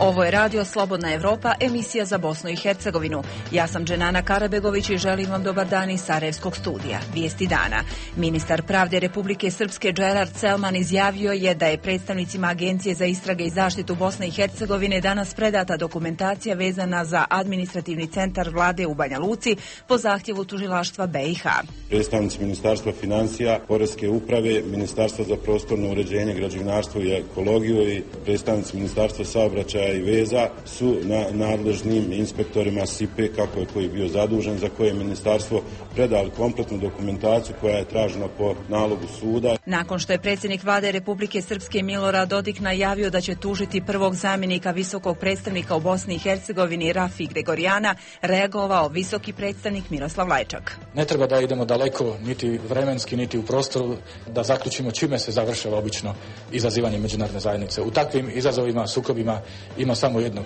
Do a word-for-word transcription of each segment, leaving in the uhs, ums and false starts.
Ovo je Radio Slobodna Evropa, emisija za Bosnu i Hercegovinu. Ja sam Dženana Karabegović i želim vam dobar dan iz Sarajevskog studija. Vijesti dana. Ministar pravde Republike Srpske Džerard Selman izjavio je da je predstavnicima Agencije za istrage i zaštitu Bosne i Hercegovine danas predata dokumentacija vezana za administrativni centar vlade u Banja Luci po zahtjevu tužilaštva B i H. Predstavnici Ministarstva financija, Poreske uprave, Ministarstva za prostorno uređenje, građevinarstvo i ekologiju i predstavnici Ministarstva saobraćaja i veza su na nadležnim inspektorima S I P E, kako je koji bio zadužen, za koje je ministarstvo predali kompletnu dokumentaciju koja je tražena po nalogu suda. Nakon što je predsjednik vlade Republike Srpske Milorad Dodik najavio da će tužiti prvog zamjenika visokog predstavnika u Bosni i Hercegovini Rafi Gregorijana, reagovao visoki predstavnik Miroslav Lajčak. Ne treba da idemo daleko, niti vremenski, niti u prostoru, da zaključimo čime se završava obično izazivanje međunarodne zajednice. U takvim izazovima, sukobima ima samo jednog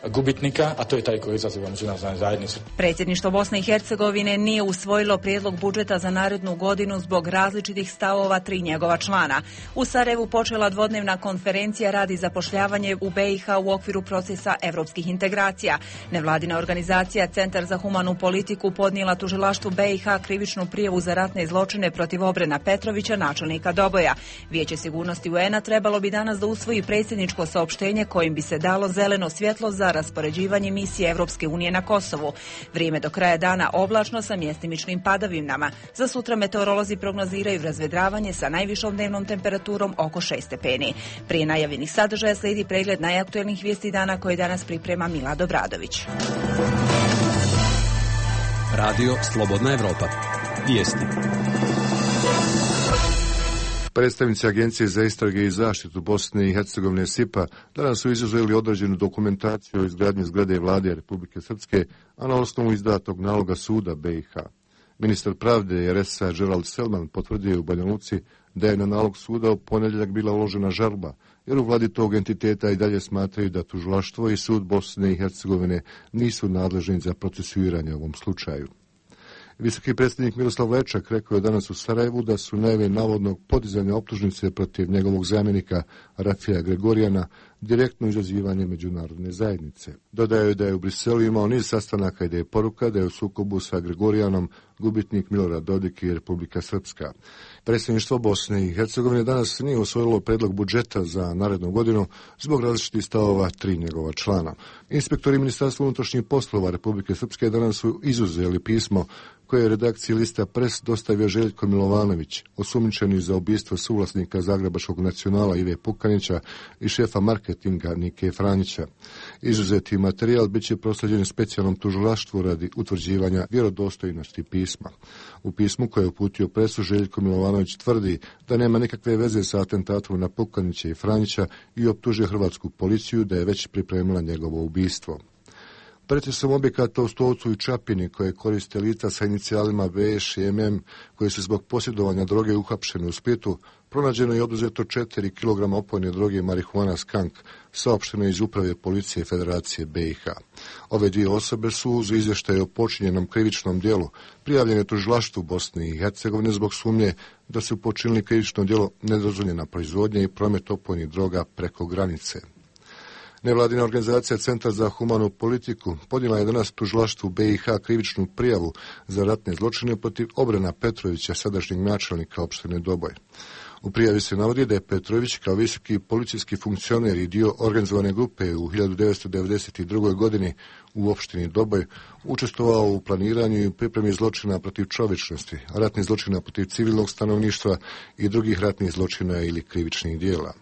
gubitnika, a to je taj koji izaziva međunarodnu zajednicu. Predsjedništvo Bosne i Hercegovine nije usvojilo prijedlog budžeta za narednu godinu zbog različitih stavova tri njegova člana. U Sarajevu počela dvodnevna konferencija radi zapošljavanje u B i H u okviru procesa evropskih integracija. Nevladina organizacija Centar za humanu politiku podnijela tužilaštvu B i H krivičnu prijavu za ratne zločine protiv Obrena Petrovića, načelnika Doboja. Vijeće sigurnosti U N A trebalo bi danas da usvoji predsjedničko saopštenje kojim bi se dalo zeleno svjetlo za raspoređivanje misije Evropske unije na Kosovu. Vrijeme do kraja dana oblačno sa mjestimičnim padavinama. Za sutra meteorolozi prognoziraju razvedravanje sa najvišom dnevnom temperaturom oko šest stepeni. Prije najavljenih sadržaja slijedi pregled najaktuelnijih vijesti dana koje danas priprema Milad Obradović. Radio Slobodna Evropa. Vijesti. Predstavnici Agencije za istrage i zaštitu Bosne i Hercegovine S I P A danas su izuzeli određenu dokumentaciju o izgradnji zgrade vlade Republike Srpske, a na osnovu izdatog naloga suda B i H. Ministar pravde R S A Džerald Selman potvrdio u Banja Luci da je na nalog suda u ponedjeljak bila uložena žalba, jer u vladi tog entiteta i dalje smatraju da tužilaštvo i sud Bosne i Hercegovine nisu nadležni za procesuiranje u ovom slučaju. Visoki predsjednik Miroslav Lajčak rekao je danas u Sarajevu da su najave navodnog podizanja optužnice protiv njegovog zamjenika Rafija Gregorijana direktno izazivanje međunarodne zajednice. Dodao je da je u Briselu imao niz sastanaka i da je poruka da je u sukobu sa Gregorijanom gubitnik Milorad Dodik i Republika Srpska. Predsjedništvo Bosne i Hercegovine danas nije usvojilo predlog budžeta za narednu godinu zbog različitih stavova tri njegova člana. Inspektori Ministarstva unutrašnjih poslova Republike Srpske danas su izuzeli pismo koje je redakciji lista Pres dostavio Željko Milovanović, osumnjičeni za ubistvo suvlasnika Zagrebačkog nacionala Ive Pukanića i šefa marketinga Nike Franjića. Izuzeti materijal bit će proslijeđen specijalnom tužilaštvu radi utvrđivanja vjerodostojnosti pisma. U pismu koje je uputio Presu, Željko Milovanović tvrdi da nema nikakve veze sa atentatom na Pukanića i Franjića i optužuje hrvatsku policiju da je već pripremila njegovo ubistvo. Pretresom objekata u Stolcu i Čapini koje koriste lica sa inicijalima V Š i M M koje su zbog posjedovanja droge uhapšene u Splitu, pronađeno je oduzeto četiri kilograma opojne droge marihuana skank, saopšteno iz uprave policije Federacije B i H. Ove dvije osobe su uz izvještaje o počinjenom krivičnom djelu prijavljene tužilaštvu Bosne i Hercegovine zbog sumnje da su počinili krivično djelo nedozvoljena proizvodnja i promet opojnih droga preko granice. Nevladina organizacija Centar za humanu politiku podnijela je danas tužilaštvu B i H krivičnu prijavu za ratne zločine protiv Obrena Petrovića, sadašnjeg načelnika opštine Doboj. U prijavi se navodi da je Petrović kao visoki policijski funkcioner i dio organizovane grupe u hiljadu devetsto devedeset drugoj. godini u opštini Doboj učestvovao u planiranju i pripremi zločina protiv čovječnosti, ratnih zločina protiv civilnog stanovništva i drugih ratnih zločina ili krivičnih dijela.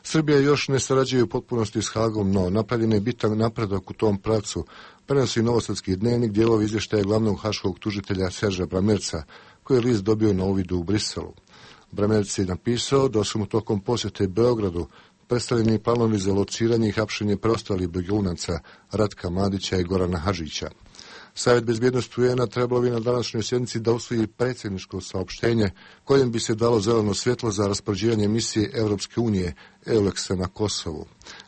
Srbija još ne sarađuje u potpunosti s Hagom, no napravljen je bitan napredak u tom pravcu, prenosi Novosadski dnevnik dijelovi izvještaja glavnog haškog tužitelja Serža Bramerca, koji je list dobio na uvidu u Briselu. Bramerc je napisao da su mu tokom posjete Beogradu predstavljeni planovi za lociranje i hapšenje preostalih begunaca Ratka Mladića i Gorana Hadžića. Savjet bezbjednosti U N A trebalo bi na današnjoj sjednici da usvoji predsjedničko saopštenje kojem bi se dalo zeleno svjetlo za raspoređivanje misije Evropske unije EULEX-a na Kosovu.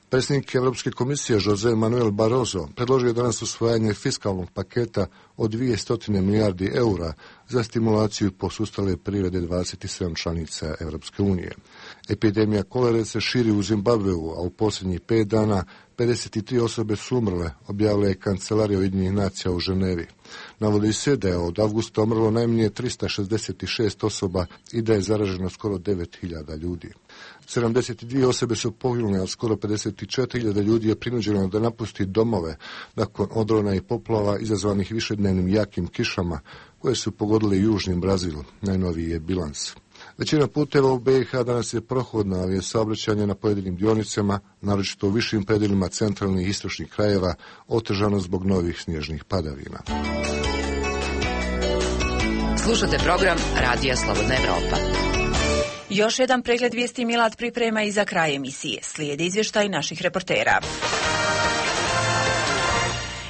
Predsjednik Evropske komisije Jose Manuel Barroso predložio je danas usvajanje fiskalnog paketa od dvjesto milijardi eura za stimulaciju posustale privrede dvadeset sedam članica Evropske unije. Epidemija kolere se širi u Zimbabveu, a u posljednjih pet dana pedeset tri osobe su umrle, objavila je Kancelarija Ujedinjenih nacija u Ženevi. Navodi se da je od avgusta umrlo najmanje trista šezdeset šest osoba i da je zaraženo skoro devet hiljada ljudi. sedamdeset dvije osobe su poginule, a skoro pedeset četiri hiljade ljudi je prinuđeno da napusti domove nakon odrona i poplava izazvanih višednevnim jakim kišama koje su pogodile južni Brazil. Najnoviji je bilans. Većina puteva u B i H danas je prohodna, ali je saobraćanje na pojedinim dionicama, naročito u višim predjelima centralnih i istočnih krajeva, otežano zbog novih snježnih padavina. Slušate program Radija Slobodna Evropa. Još jedan pregled vijesti Milad priprema i za kraj emisije. Slijedi izvještaj naših reportera.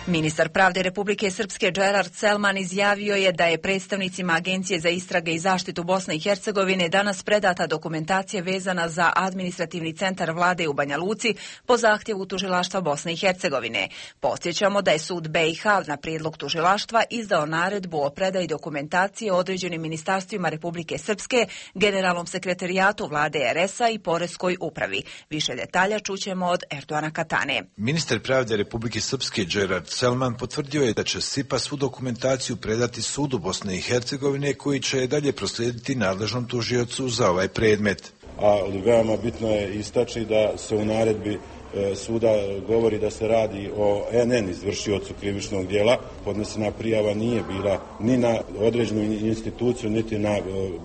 Ministar pravde Republike Srpske Gerard Selman izjavio je da je predstavnicima Agencije za istrage i zaštitu Bosne i Hercegovine danas predata dokumentacija vezana za administrativni centar vlade u Banja Luci po zahtjevu tužilaštva Bosne i Hercegovine. Podsjećamo da je sud B i H na prijedlog tužilaštva izdao naredbu o predaji dokumentacije određenim ministarstvima Republike Srpske, generalnom sekretarijatu vlade R S-a i poreskoj upravi. Više detalja čućemo od Erdoana Katane. Ministar pravde Republike Srpske Gerard Selman potvrdio je da će S I P A svu dokumentaciju predati sudu Bosne i Hercegovine, koji će dalje proslijediti nadležnom tužiocu za ovaj predmet. A veoma bitno je istaći da se u naredbi suda govori da se radi o N N izvršiocu krivičnog djela. Podnesena prijava nije bila ni na određenu instituciju, niti na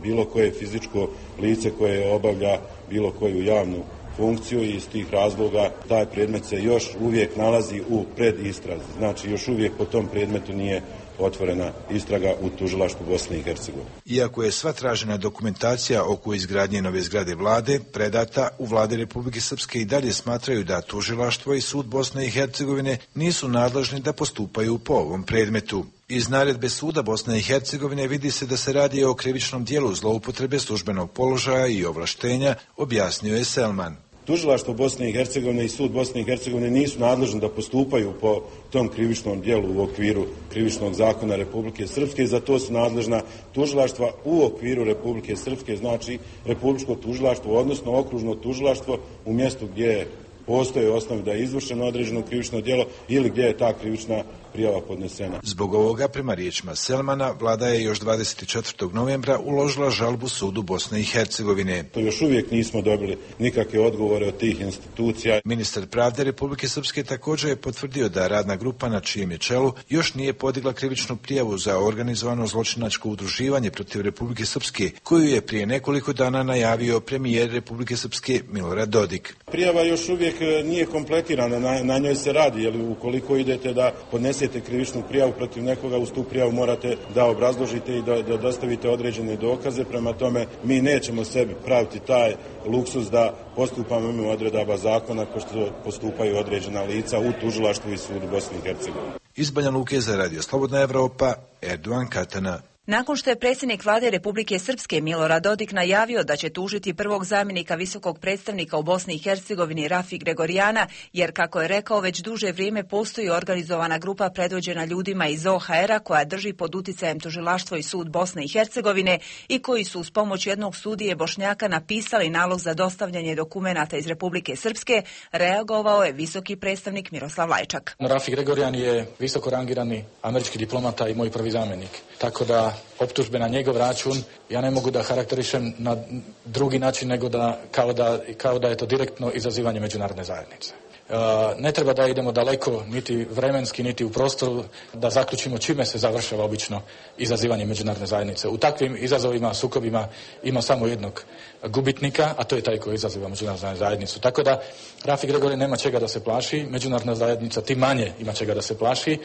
bilo koje fizičko lice koje obavlja bilo koju javnu funkciju i iz tih razloga taj predmet se još uvijek nalazi u predistrazi. Znači još uvijek po tom predmetu nije otvorena istraga u tužilaštvu Bosne i Hercegovine. Iako je sva tražena dokumentacija oko izgradnje nove zgrade vlade predata, u vlade Republike Srpske i dalje smatraju da tužilaštvo i sud Bosne i Hercegovine nisu nadležni da postupaju po ovom predmetu. Iz naredbe suda Bosne i Hercegovine vidi se da se radi o krivičnom dijelu zloupotrebe službenog položaja i ovlaštenja, objasnio je Selman. Tužilaštvo Bosne i Hercegovine i sud Bosne i Hercegovine nisu nadležni da postupaju po tom krivičnom dijelu u okviru krivičnog zakona Republike Srpske i za to su nadležna tužilaštva u okviru Republike Srpske, znači Republičko tužilaštvo, odnosno okružno tužilaštvo u mjestu gdje postoje osnovi da je izvršeno određeno krivično djelo ili gdje je ta krivična prijava podnesena. Zbog ovoga, prema riječima Selmana, vlada je još dvadeset četvrtog novembra uložila žalbu sudu Bosne i Hercegovine. To još uvijek nismo dobili nikakve odgovore od tih institucija. Ministar pravde Republike Srpske također je potvrdio da radna grupa na čijem je čelu još nije podigla krivičnu prijavu za organizovano zločinačko udruživanje protiv Republike Srpske, koju je prije nekoliko dana najavio premijer Republike Srpske Milorad Dodik. Prijava još uvijek nije kompletirana, na, na njoj se radi, jer ukoliko idete da podnesete krivičnu prijavu protiv nekoga, uz tu prijavu morate da obrazložite i da, da dostavite određene dokaze, prema tome mi nećemo sebi praviti taj luksuz da postupamo mimo odredaba zakona kao što postupaju određena lica u tužilaštvu i sudu Bosne i Hercegovine. Iz Banja Luke za Radio Slobodna Evropa, Erdoan Katana. Nakon što je predsjednik vlade Republike Srpske Milorad Dodik najavio da će tužiti prvog zamjenika visokog predstavnika u Bosni i Hercegovini Rafi Gregorijana, jer kako je rekao već duže vrijeme postoji organizovana grupa predvođena ljudima iz O H R-a koja drži pod uticajem tužilaštvo i sud Bosne i Hercegovine i koji su uz pomoć jednog sudije Bošnjaka napisali nalog za dostavljanje dokumenata iz Republike Srpske, reagovao je visoki predstavnik Miroslav Lajčak. Rafi Gregorijan je visoko rangirani američki diplomata i moj prvi zamjenik, tako da optužbe na njegov račun ja ne mogu da karakterišem na drugi način nego da kao da, kao da je to direktno izazivanje međunarodne zajednice. E, ne treba da idemo daleko, niti vremenski, niti u prostoru, da zaključimo čime se završava obično izazivanje međunarodne zajednice. U takvim izazovima, sukobima ima samo jednog gubitnika, a to je taj koji izaziva međunarodnu zajednicu. Tako da Rafi Gregori nema čega da se plaši, međunarodna zajednica tim manje ima čega da se plaši.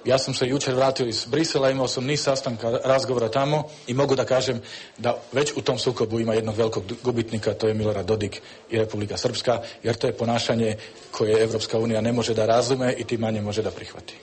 Ja sam se jučer vratio iz Brisela, imao sam niz sastanka, razgovora tamo i mogu da kažem da već u tom sukobu ima jednog velikog gubitnika, to je Milorad Dodik i Republika Srpska, jer to je ponašanje koje Evropska unija ne može da razume i tim manje može da prihvati.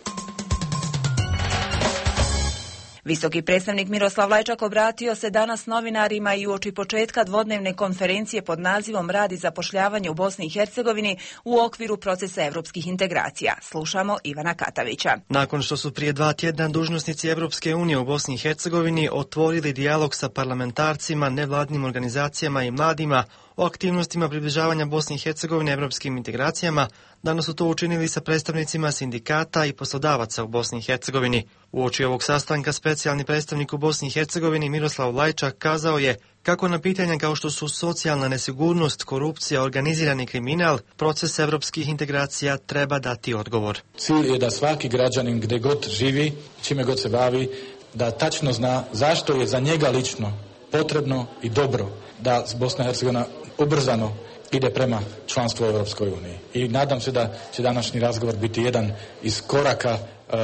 Visoki predstavnik Miroslav Lajčak obratio se danas novinarima i uoči početka dvodnevne konferencije pod nazivom Rad i zapošljavanje u Bosni i Hercegovini u okviru procesa evropskih integracija. Slušamo Ivana Katavića. Nakon što su prije dva tjedna dužnosnici Evropske unije u Bosni i Hercegovini otvorili dijalog sa parlamentarcima, nevladnim organizacijama i mladima o aktivnostima približavanja Bosne i Hercegovine evropskim integracijama, danas su to učinili sa predstavnicima sindikata i poslodavaca u Bosni i Hercegovini. Uoči ovog sastanka specijalni predstavnik u Bosni i Hercegovini Miroslav Lajčak kazao je kako na pitanja kao što su socijalna nesigurnost, korupcija, organizirani kriminal, proces evropskih integracija treba dati odgovor. Cilj je da svaki građanin gdje god živi, čime god se bavi, da tačno zna zašto je za njega lično potrebno i dobro da Bosna i Hercegovina ubrzano ide prema članstvu u Europskoj uniji. I nadam se da će današnji razgovor biti jedan iz koraka,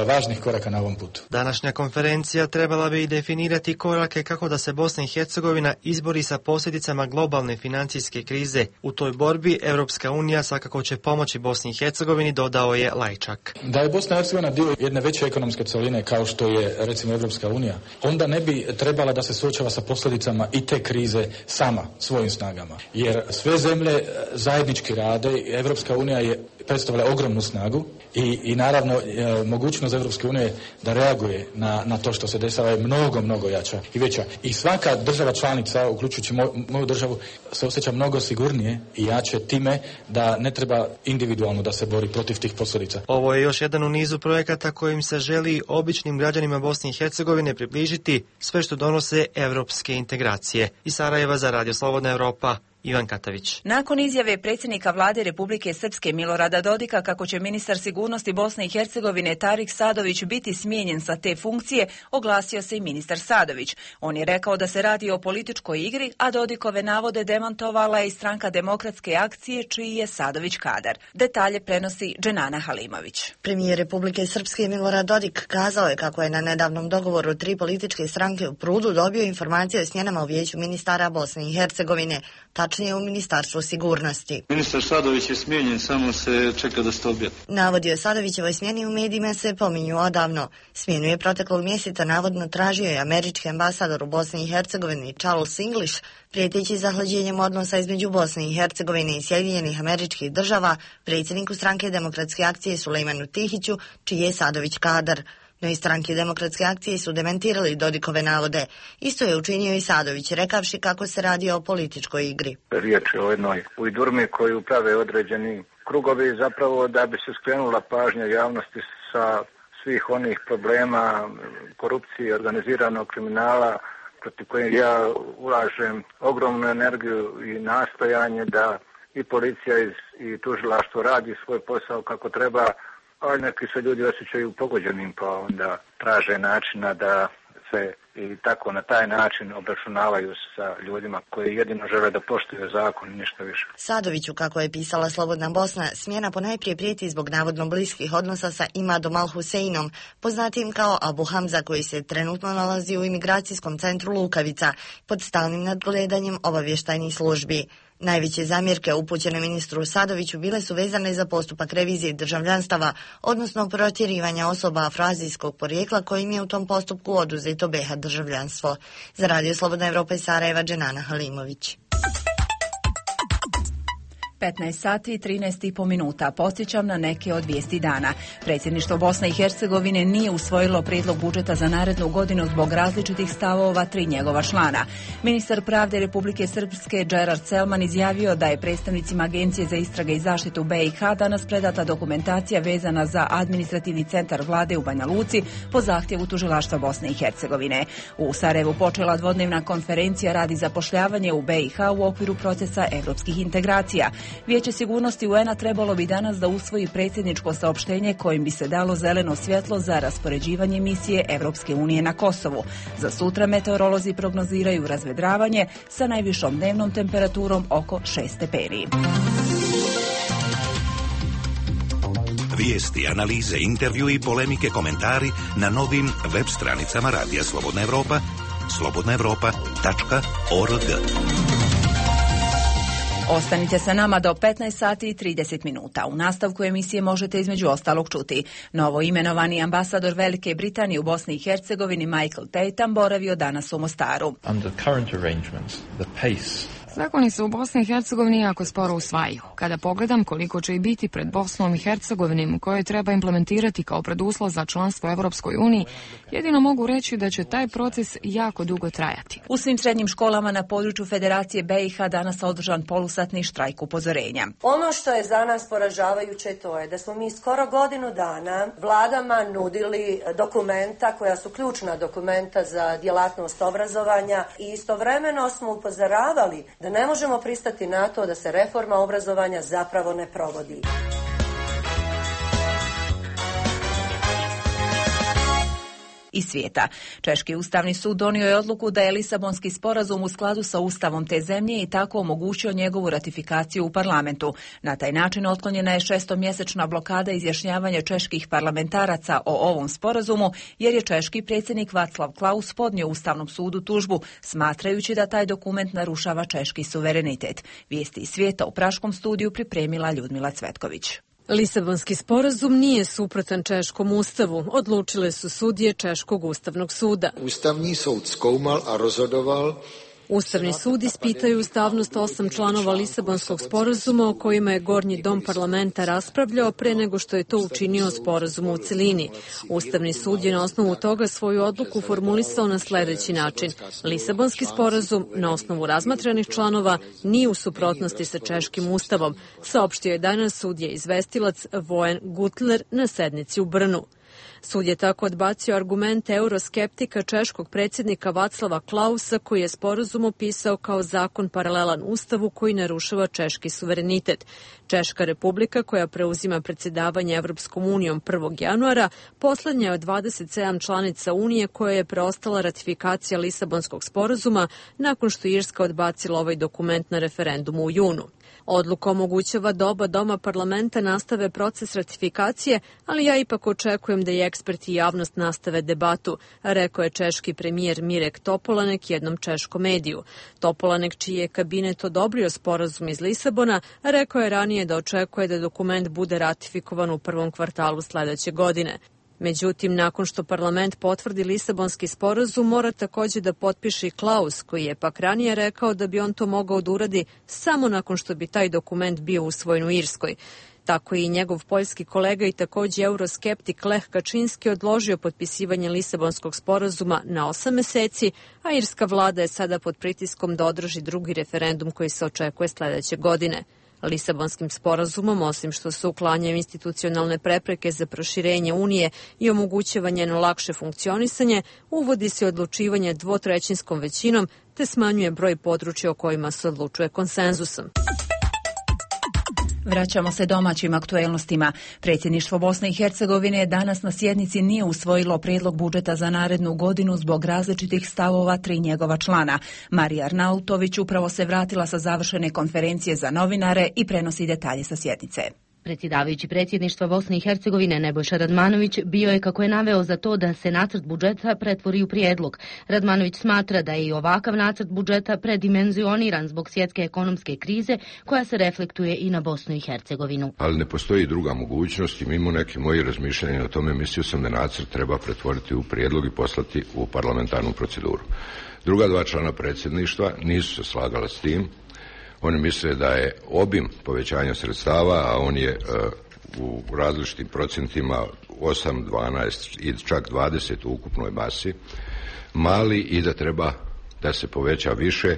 važnih koraka na ovom putu. Današnja konferencija trebala bi definirati korake kako da se Bosna i Hercegovina izbori sa posljedicama globalne financijske krize. U toj borbi Europska unija svakako će pomoći Bosni i Hercegovini, dodao je Lajčak. Da je Bosna i Hercegovina dio jedne veće ekonomske celine kao što je recimo Europska unija, onda ne bi trebala da se suočava sa posljedicama i te krize sama, svojim snagama. Jer sve zemlje zajednički rade, Europska unija je predstavlja ogromnu snagu i, i naravno e, mogućnost Europske unije da reaguje na, na to što se dešava je mnogo, mnogo jača i veća. I svaka država članica, uključujući moj, moju državu, se osjeća mnogo sigurnije i jače time da ne treba individualno da se bori protiv tih posljedica. Ovo je još jedan u nizu projekata kojim se želi običnim građanima Bosne i Hercegovine približiti sve što donose evropske integracije. Iz Sarajeva za Radio Slobodna Evropa, Ivan Katavić. Nakon izjave predsjednika vlade Republike Srpske Milorada Dodika kako će ministar sigurnosti Bosne i Hercegovine Tarik Sadović biti smijenjen sa te funkcije, oglasio se i ministar Sadović. On je rekao da se radi o političkoj igri, a Dodikove navode demantovala je i Stranka demokratske akcije, čiji je Sadović kadar. Detalje prenosi Dženana Halimović. Premijer Republike Srpske Milorad Dodik kazao je kako je na nedavnom dogovoru tri političke stranke u Prudu dobio informacije o smjenama u vijeću ministara Bosne i Hercegovine, tačnije u Ministarstvu sigurnosti. Ministar Sadović je smijenjen, samo se čeka da se objaviti. Navodi o Sadovićevoj smjeni u medijima se pominju odavno. Smjenu je proteklog mjeseca navodno tražio i američki ambasador u Bosni i Hercegovini Charles English, prijeteći zahlađenjem odnosa između Bosne i Hercegovine i Sjedinjenih Američkih Država, predsjedniku Stranke demokratske akcije Sulejmanu Tihiću, čiji je Sadović kadar. No iz Stranke demokratske akcije su dementirali Dodikove navode. Isto je učinio i Sadović, rekavši kako se radi o političkoj igri. Riječ je o jednoj ujdurmi koju prave određeni krugovi, zapravo da bi se skrenula pažnja javnosti sa svih onih problema, korupcije, organiziranog kriminala, protiv kojeg ja ulažem ogromnu energiju i nastojanje da i policija i tužilaštvo radi svoj posao kako treba, ali neki se ljudi osjećaju pogođenim, pa onda traže načina da se i tako na taj način obračunavaju sa ljudima koji jedino žele da poštuju zakon i ništa više. Sadoviću, kako je pisala Slobodna Bosna, smjena ponajprije prijeti zbog navodno bliskih odnosa sa Imadom Al-Huseinom, poznatim kao Abu Hamza, koji se trenutno nalazi u imigracijskom centru Lukavica, pod stalnim nadgledanjem obavještajnih službi. Najveće zamjerke upućene ministru Sadoviću bile su vezane za postupak revizije državljanstava, odnosno protjerivanja osoba afroazijskog porijekla kojim je u tom postupku oduzeto be ha državljanstvo. Za Radio Slobodna Evropa iz Sarajeva, Dženana Halimović. petnaest sati i trinaest i po minuta. Podsjećam na neke od vijesti dana. Predsjedništvo Bosne i Hercegovine nije usvojilo prijedlog budžeta za narednu godinu zbog različitih stavova tri njegova člana. Ministar pravde Republike Srpske Džerard Selman izjavio da je predstavnicima Agencije za istrage i zaštitu be i ha danas predata dokumentacija vezana za administrativni centar vlade u Banja Luci po zahtjevu tužilaštva Bosne i Hercegovine. U Sarajevu počela dvodnevna konferencija radi zapošljavanje u be i ha u okviru procesa evropskih integracija. Vijeće sigurnosti u en a trebalo bi danas da usvoji predsjedničko saopštenje kojim bi se dalo zeleno svjetlo za raspoređivanje misije Evropske unije na Kosovu. Za sutra meteorolozi prognoziraju razvedravanje sa najvišom dnevnom temperaturom oko šest stepeni. Vijesti, analize, intervju i polemike, komentari na novim web stranicama Radija Slobodna Evropa, slobodna evropa tačka org. Ostanite sa nama do petnaest sati i trideset minuta. U nastavku emisije možete između ostalog čuti. Novo imenovani ambasador Velike Britanije u Bosni i Hercegovini Michael Tatum boravio danas u Mostaru. Under current arrangements, the pace Zakoni se u Bosni i Hercegovini jako sporo usvajaju. Kada pogledam koliko će i biti pred Bosnom i Hercegovinom koje treba implementirati kao preduslov za članstvo u Evropskoj uniji, jedino mogu reći da će taj proces jako dugo trajati. U svim srednjim školama na području Federacije B i H danas održan polusatni štrajk upozorenja. Ono što je za nas poražavajuće to je da smo mi skoro godinu dana vladama nudili dokumenta koja su ključna dokumenta za djelatnost obrazovanja i istovremeno smo upozoravali da ne možemo pristati na to da se reforma obrazovanja zapravo ne provodi. Iz svijeta. Češki ustavni sud donio je odluku da je Lisabonski sporazum u skladu sa ustavom te zemlje i tako omogućio njegovu ratifikaciju u parlamentu. Na taj način otklonjena je šestomjesečna blokada izjašnjavanja čeških parlamentaraca o ovom sporazumu, jer je češki predsjednik Václav Klaus podnio Ustavnom sudu tužbu, smatrajući da taj dokument narušava češki suverenitet. Vijesti iz svijeta u praškom studiju pripremila Ljudmila Cvetković. Lisabonski sporazum nije suprotan češkom ustavu, odlučile su sudije Češkog ustavnog suda. Ustavni sud skoumal a rozhodoval. Ustavni sud ispitaju ustavnost osam članova Lisabonskog sporazuma o kojima je Gornji dom parlamenta raspravljao pre nego što je to učinio sporazum u celini. Ustavni sud je na osnovu toga svoju odluku formulisao na sljedeći način. Lisabonski sporazum na osnovu razmatranih članova nije u suprotnosti sa češkim ustavom, saopštio je danas sudija izvestilac Vojen Gutler na sednici u Brnu. Sud je tako odbacio argumente euroskeptika češkog predsjednika Václava Klausa, koji je sporazum opisao kao zakon paralelan ustavu koji narušava češki suverenitet. Češka republika, koja preuzima predsjedavanje Evropskom unijom prvog januara, poslednja je od dvadeset sedam članica Unije koja je preostala ratifikacija Lisabonskog sporazuma nakon što Irska odbacila ovaj dokument na referendumu u junu. Odluka omogućava da oba doma parlamenta nastave proces ratifikacije, ali ja ipak očekujem da i eksperti i javnost nastave debatu, rekao je češki premijer Mirek Topolanek jednom češkom mediju. Topolanek, čiji je kabinet odobrio sporazum iz Lisabona, rekao je ranije da očekuje da dokument bude ratifikovan u prvom kvartalu sljedeće godine. Međutim, nakon što parlament potvrdi Lisabonski sporazum, mora također da potpiše i Klaus, koji je pak ranije rekao da bi on to mogao da uradi samo nakon što bi taj dokument bio usvojen u Irskoj. Tako je i njegov poljski kolega i također euroskeptik Lech Kaczynski odložio potpisivanje Lisabonskog sporazuma na osam meseci, a irska vlada je sada pod pritiskom da održi drugi referendum koji se očekuje sljedeće godine. Lisabonskim sporazumom, osim što se uklanjaju institucionalne prepreke za proširenje Unije i omogućava njeno lakše funkcionisanje, uvodi se odlučivanje dvotrećinskom većinom te smanjuje broj područja o kojima se odlučuje konsenzusom. Vraćamo se domaćim aktuelnostima. Predsjedništvo Bosne i Hercegovine danas na sjednici nije usvojilo prijedlog budžeta za narednu godinu zbog različitih stavova tri njegova člana. Marija Arnautović upravo se vratila sa završene konferencije za novinare i prenosi detalje sa sjednice. Predsjedavajući predsjedništva Bosne i Hercegovine Nebojša Radmanović bio je, kako je naveo, za to da se nacrt budžeta pretvori u prijedlog. Radmanović smatra da je i ovakav nacrt budžeta predimenzioniran zbog svjetske ekonomske krize koja se reflektuje i na Bosnu i Hercegovinu. Ali ne postoji druga mogućnost i mimo neke moje razmišljanja o tome mislio sam da nacrt treba pretvoriti u prijedlog i poslati u parlamentarnu proceduru. Druga dva člana predsjedništva nisu se slagala s tim. Oni misle da je obim povećanja sredstava, a on je uh, u različitim procentima osam, dvanaest i čak dvadeset u ukupnoj masi, mali i da treba da se poveća više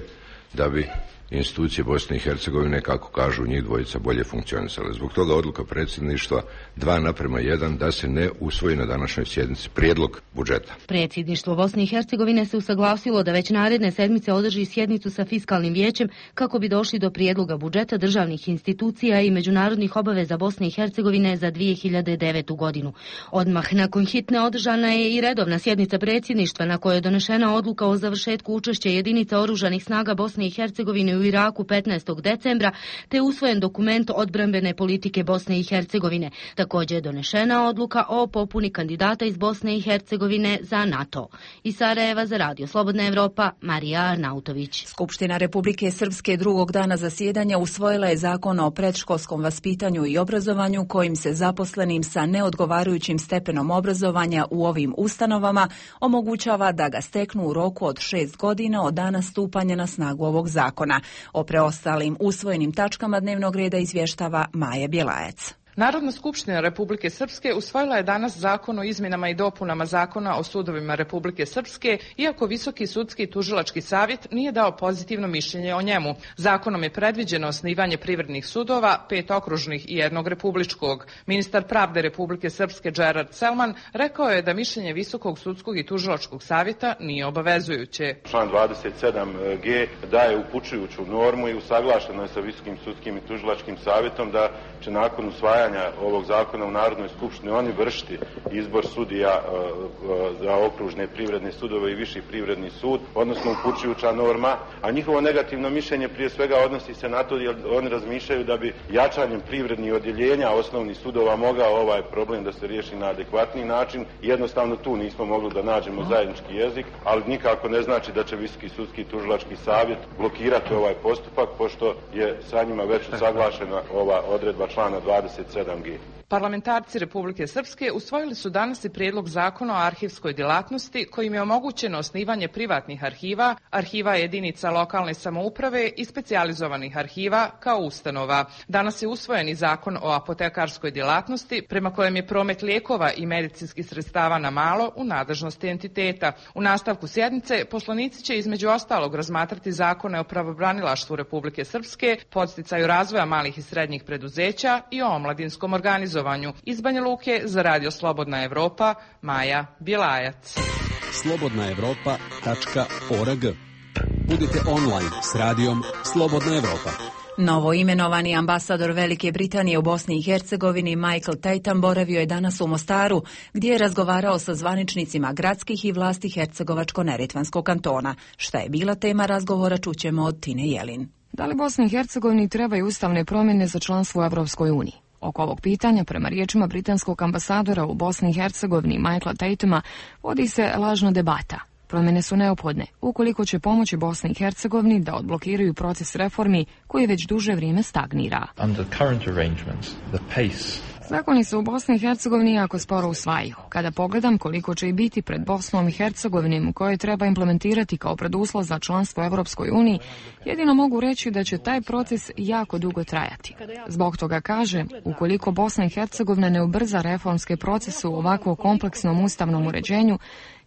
da bi institucije Bosne i Hercegovine, kako kažu njih dvojica, bolje funkcionisale. Zbog toga odluka predsjedništva dva naprema jedan da se ne usvoji na današnjoj sjednici prijedlog budžeta. Predsjedništvo Bosne i Hercegovine se usaglasilo da već naredne sedmice održi sjednicu sa fiskalnim vijećem kako bi došli do prijedloga budžeta državnih institucija i međunarodnih obaveza Bosne i Hercegovine za dvije hiljade devetu godinu. Odmah nakon hitne održana je i redovna sjednica predsjedništva na kojoj je donešena odluka o završetku učešća jedinica oružanih snaga Bosne i Hercegovine u Iraku petnaestog decembra, te usvojen dokument odbrambene politike Bosne i Hercegovine. Također je donešena odluka o popuni kandidata iz Bosne i Hercegovine za NATO. Iz Sarajeva za Radio Slobodna Evropa, Marija Arnautović. Skupština Republike Srpske drugog dana zasjedanja usvojila je zakon o predškolskom vaspitanju i obrazovanju kojim se zaposlenim sa neodgovarajućim stepenom obrazovanja u ovim ustanovama omogućava da ga steknu u roku od šest godina od dana stupanja na snagu ovog zakona. O preostalim usvojenim tačkama dnevnog reda izvještava Maja Bjelajac. Narodna skupština Republike Srpske usvojila je danas zakon o izmjenama i dopunama zakona o sudovima Republike Srpske, iako Visoki sudski i tužilački savjet nije dao pozitivno mišljenje o njemu. Zakonom je predviđeno osnivanje privrednih sudova, pet okružnih i jednog republičkog. Ministar pravde Republike Srpske Gerard Selman rekao je da mišljenje Visokog sudskog i tužilačkog savjeta nije obavezujuće. Član dvadeset sedam ge daje upućujuću normu i usaglašeno je sa Visokim sudskim i tužilačkim savjetom da će nakon usvajanja ovog zakona u Narodnoj skupštini oni vršiti izbor sudija za okružne privredne sudove i viši privredni sud, odnosno upućujuća norma, a njihovo negativno mišljenje prije svega odnosi se na to jer oni razmišljaju da bi jačanjem privrednih odjeljenja osnovnih sudova mogao ovaj problem da se riješi na adekvatniji način. Jednostavno tu nismo mogli da nađemo zajednički jezik, ali nikako ne znači da će Visoki sudski i tužilački savjet blokirati ovaj postupak, pošto je sa njima već usaglašena ova odredba člana dvadeset sedam ge. Parlamentarci Republike Srpske usvojili su danas i prijedlog zakona o arhivskoj djelatnosti kojim je omogućeno osnivanje privatnih arhiva, arhiva jedinica lokalne samouprave i specijalizovanih arhiva kao ustanova. Danas je usvojen i zakon o apotekarskoj djelatnosti prema kojem je promet lijekova i medicinskih sredstava na malo u nadležnosti entiteta. U nastavku sjednice poslanici će između ostalog razmatrati zakone o pravobranilaštvu Republike Srpske, podsticaju razvoja malih i srednjih preduzeća i o omladinskom organizovanju. Iz Banja Luke za Radio Slobodna Evropa, Maja Bjelajac. slobodna evropa tačka org. Budite online s radijom Slobodna Evropa. Novo imenovani ambasador Velike Britanije u Bosni i Hercegovini Michael Tatum boravio je danas u Mostaru, gdje je razgovarao sa zvaničnicima gradskih i vlasti Hercegovačko-Neretvanskog kantona. Šta je bila tema razgovora, čućemo od Tine Jelin. Da li Bosni i Hercegovini trebaju ustavne promjene za članstvo u Evropskoj uniji? Oko ovog pitanja, prema riječima britanskog ambasadora u Bosni i Hercegovini Michaela Tatuma, vodi se lažna debata. Promjene su neophodne, ukoliko će pomoći Bosni i Hercegovini da odblokiraju proces reformi koji već duže vrijeme stagnira. Under current arrangements, the pace Zakoni se u Bosni i Hercegovini jako sporo usvajaju. Kada pogledam koliko će i biti pred Bosnom i Hercegovinom koje treba implementirati kao preduslov za članstvo u Evropskoj uniji, jedino mogu reći da će taj proces jako dugo trajati. Zbog toga kaže, ukoliko Bosna i Hercegovina ne ubrza reformske procese u ovako kompleksnom ustavnom uređenju,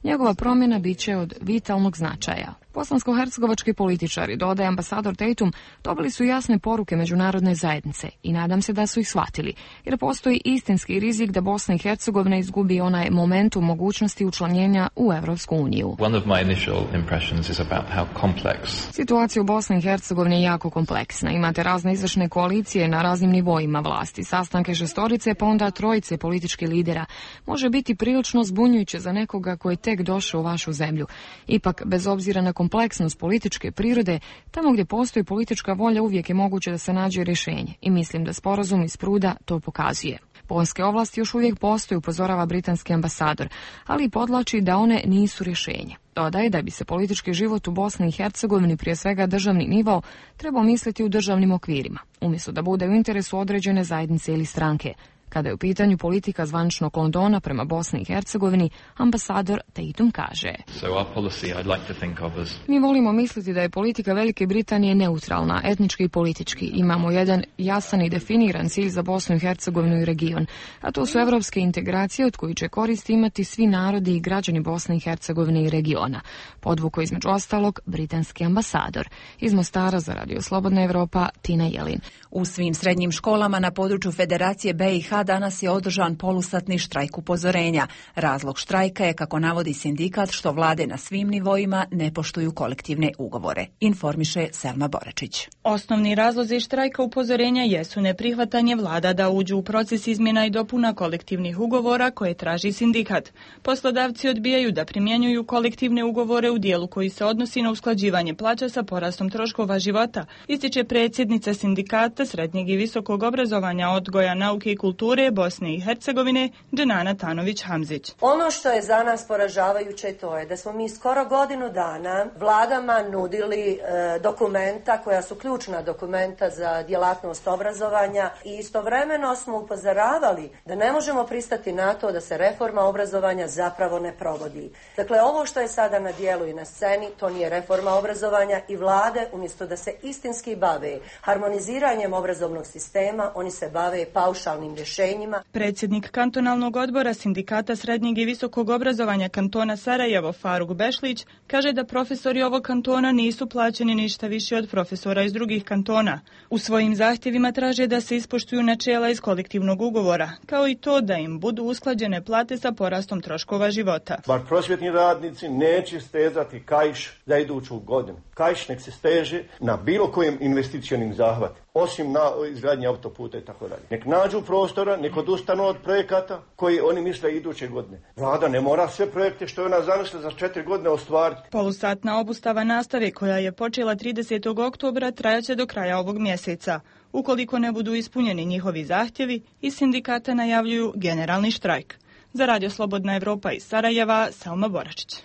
njegova promjena bit će od vitalnog značaja. Bosansko-hercegovački političari, dodaje ambasador Tatum, dobili su jasne poruke međunarodne zajednice i nadam se da su ih shvatili, jer postoji istinski rizik da Bosna i Hercegovina izgubi onaj momentum mogućnosti učlanjenja u Evropsku uniju. One of my initial impressions is about how complex. Situacija u Bosni i Hercegovini je jako kompleksna. Imate razne izvršne koalicije na raznim nivoima vlasti, sastanke šestorice pa onda trojice političkih lidera. Može biti prilično zbunjujuće za nekoga koji je tek došao u vašu zemlju. Ipak, bez obzira na kompleksnost političke prirode, tamo gdje postoji politička volja uvijek je moguće da se nađe rješenje i mislim da sporazum iz Pruda to pokazuje. Bonske ovlasti još uvijek postoji, upozorava britanski ambasador, ali podlači da one nisu rješenje. Dodaje da bi se politički život u Bosni i Hercegovini, prije svega državni nivo, trebao misliti u državnim okvirima, umjesto da bude u interesu određene zajednice ili stranke. Kada je u pitanju politika zvaničnog Londona prema Bosni i Hercegovini, ambasador Tatum kaže: So our policy I'd like to think of as... Mi volimo misliti da je politika Velike Britanije neutralna, etnički i politički. Imamo jedan jasan i definiran cilj za Bosnu i Hercegovinu i region, a to su evropske integracije od kojih će koristi imati svi narodi i građani Bosne i Hercegovine i regiona. Podvuko između ostalog britanski ambasador. Iz Mostara za Radio Slobodna Evropa, Tina Jelin. U svim srednjim školama na području Federacije B i H danas je održan polusatni štrajk upozorenja. Razlog štrajka je, kako navodi sindikat, što vlade na svim nivoima ne poštuju kolektivne ugovore. Informiše Selma Boračić. Osnovni razlozi štrajka upozorenja jesu neprihvatanje vlada da uđu u proces izmjena i dopuna kolektivnih ugovora koje traži sindikat. Poslodavci odbijaju da primjenjuju kolektivne ugovore u dijelu koji se odnosi na usklađivanje plaća sa porastom troškova života, ističe predsjednica sindikata srednjeg i visokog obrazovanja, odgoja, nauke i kulture kulture Bosne i Hercegovine Dženana Tanović-Hamzić. Ono što je za nas poražavajuće to je da smo mi skoro godinu dana vladama nudili e, dokumenta koja su ključna dokumenta za djelatnost obrazovanja i istovremeno smo upozoravali da ne možemo pristati na to da se reforma obrazovanja zapravo ne provodi. Dakle, ovo što je sada na dijelu i na sceni, to nije reforma obrazovanja i vlade, umjesto da se istinski bave harmoniziranjem obrazovnog sistema, oni se bave paušalnim rješenjima. Predsjednik kantonalnog odbora Sindikata srednjeg i visokog obrazovanja kantona Sarajevo Faruk Bešlić kaže da profesori ovog kantona nisu plaćeni ništa više od profesora iz drugih kantona. U svojim zahtjevima traže da se ispoštuju načela iz kolektivnog ugovora, kao i to da im budu usklađene plate sa porastom troškova života. Bar prosvjetni radnici neće stezati kaiš za iduću godinu. Kaiš nek se steže na bilo kojem investicionim zahvatu, osim na izgradnji autoputa i tako dalje. Nek nađu prostora, nek odustanu od projekata koji oni misle iduće godine. Vlada ne mora sve projekte što je ona zamislila za četiri godine ostvariti. Polusatna obustava nastave koja je počela tridesetog oktobra trajaće do kraja ovog mjeseca. Ukoliko ne budu ispunjeni njihovi zahtjevi, iz sindikata najavljuju generalni štrajk. Za Radio Slobodna Evropa iz Sarajeva, Selma Boračić.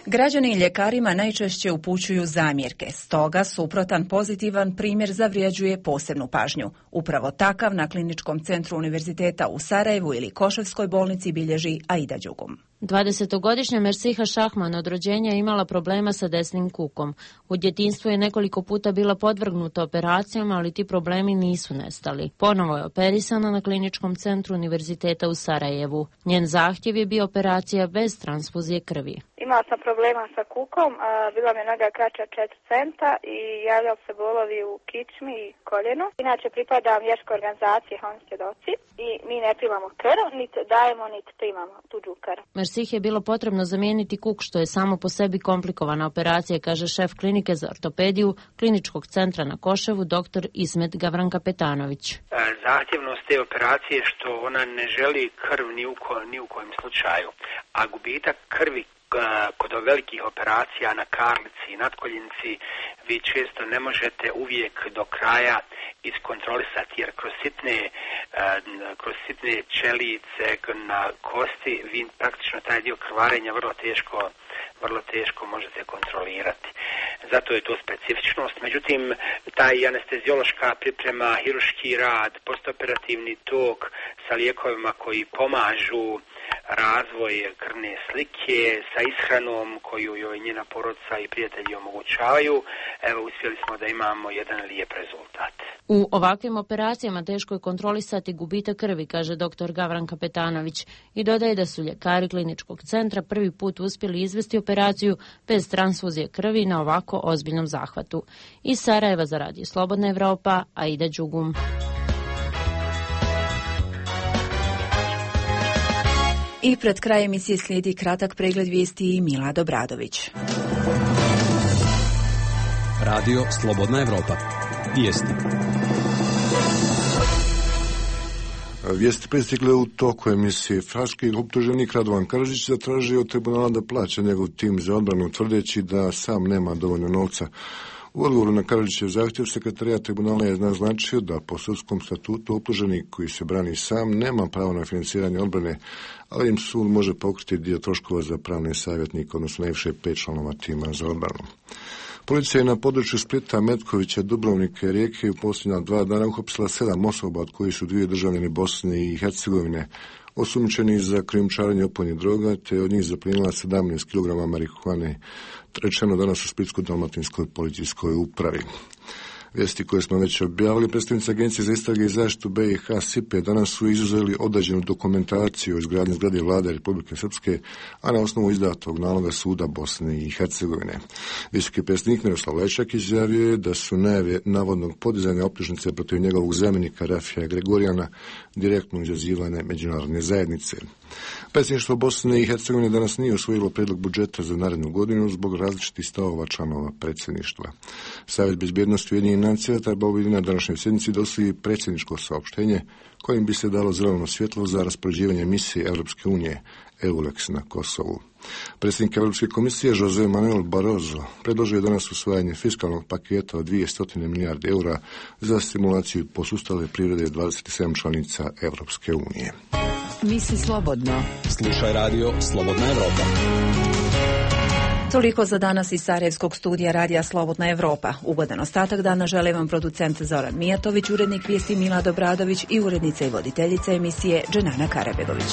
Građani ljekarima najčešće upućuju zamjerke, stoga suprotan pozitivan primjer zavrijeđuje posebnu pažnju. Upravo takav na Kliničkom centru Univerziteta u Sarajevu ili Koševskoj bolnici bilježi Aida Đugum. dvadesetogodišnja Mersiha Šahman od rođenja imala problema sa desnim kukom. U djetinjstvu je nekoliko puta bila podvrgnuta operacijama, ali ti problemi nisu nestali. Ponovo je operisana na Kliničkom centru Univerziteta u Sarajevu. Njen zahtjev je bio operacija bez transfuzije krvi. Imala sam problema sa kukom, a bila mi je noga kraća četiri centa i javljali se bolovi u kičmi i koljenu. Inače pripadam vjerskoj organizaciji Homo svjedoci i mi ne primamo krv, niti dajemo, niti primamo tuđu krv. Mersih je bilo potrebno zamijeniti kuk, što je samo po sebi komplikovana operacija, kaže šef klinike za ortopediju Kliničkog centra na Koševu, doktor Ismet Gavrankapetanović. Zahtjevnost te operacije što ona ne želi krv ni u, ko, ni u kojem slučaju, a gubitak krvi kod velikih operacija na karlici i natkoljenici vi često ne možete uvijek do kraja iskontrolisati, jer kroz sitne, kroz sitne čelice na kosti vi praktično taj dio krvarenja vrlo teško, vrlo teško možete kontrolirati. Zato je to specifičnost. Međutim, taj anesteziološka priprema, hiruški rad, postoperativni tok sa lijekovima koji pomažu razvoj krvne slike, sa ishranom koju joj njena porodica i prijatelji omogućavaju, evo uspjeli smo da imamo jedan lijep rezultat. U ovakvim operacijama teško je kontrolisati gubitak krvi, kaže doktor Gavrankapetanović, i dodaje da su ljekari Kliničkog centra prvi put uspjeli izvesti operaciju bez transfuzije krvi na ovako ozbiljnom zahvatu. Iz Sarajeva za Radio Slobodna Evropa, Aida Đugum. I pred krajem emisije slijedi kratak pregled vijesti i Milad Obradović. Radio Slobodna Evropa. Vijesti. Vijesti pristigle u toku emisije. Haški optuženik Radovan Karadžić zatražio od tribunala da plaća njegov tim za odbranu, tvrdeći da sam nema dovoljno novca. U odgovoru na Karadžićev zahtjev sekretarijat tribunala je naznačio da po sudskom statutu optuženik koji se brani sam nema pravo na financiranje odbrane, ali im sud može pokriti dio troškova za pravne savjetnike, odnosno najviše pet članova tima za odbranu. Policija je na području Splita, Metkovića, Dubrovnika i Rijeke u posljednja dva dana uhapsila sedam osoba, od kojih su dvije državljani Bosne i Hercegovine, osumnjičeni za krijumčarenje opojnih droga, te od njih zaplijenila sedamnaest kilograma marihuane, rečeno danas u Splitsko-dalmatinskoj policijskoj upravi. Vijesti koje smo već objavili, predstavnici Agencije za istrage i zaštitu B i H S I P E danas su izuzeli određenu dokumentaciju o izgradnji zgrade vlade Republike Srpske, a na osnovu izdatog naloga suda Bosne i Hercegovine. Visoki predstavnik Miroslav Lečak izjavio je da su najave navodnog podizanja optužnice protiv njegovog zamjenika Rafija Gregorijana direktno izazivane međunarodne zajednice. Predsjedništvo Bosne i Hercegovine danas nije usvojilo prijedlog budžeta za narednu godinu zbog različitih stavova članova predsjedništva. Savjet bezbjednosti Ujedinjenih financija trebao bi na današnjoj sjednici dostavi predsjedničko saopštenje kojim bi se dalo zeleno svjetlo za raspoređivanje misije Europske unije EULEX na Kosovu. Predsjednik Europske komisije José Manuel Barroso predložio je danas usvajanje fiskalnog paketa od dvjesto milijardi eura za stimulaciju posustale privrede dvadeset sedam članica Europske unije. Misli slobodno. Slušaj radio Slobodna Evropa. Toliko za danas iz Sarajevskog studija radija Slobodna Evropa. Ugodan ostatak dana žele vam producent Zoran Mijatović, urednik vijesti Milad Obradović i urednica i voditeljica emisije Dženana Karabegović.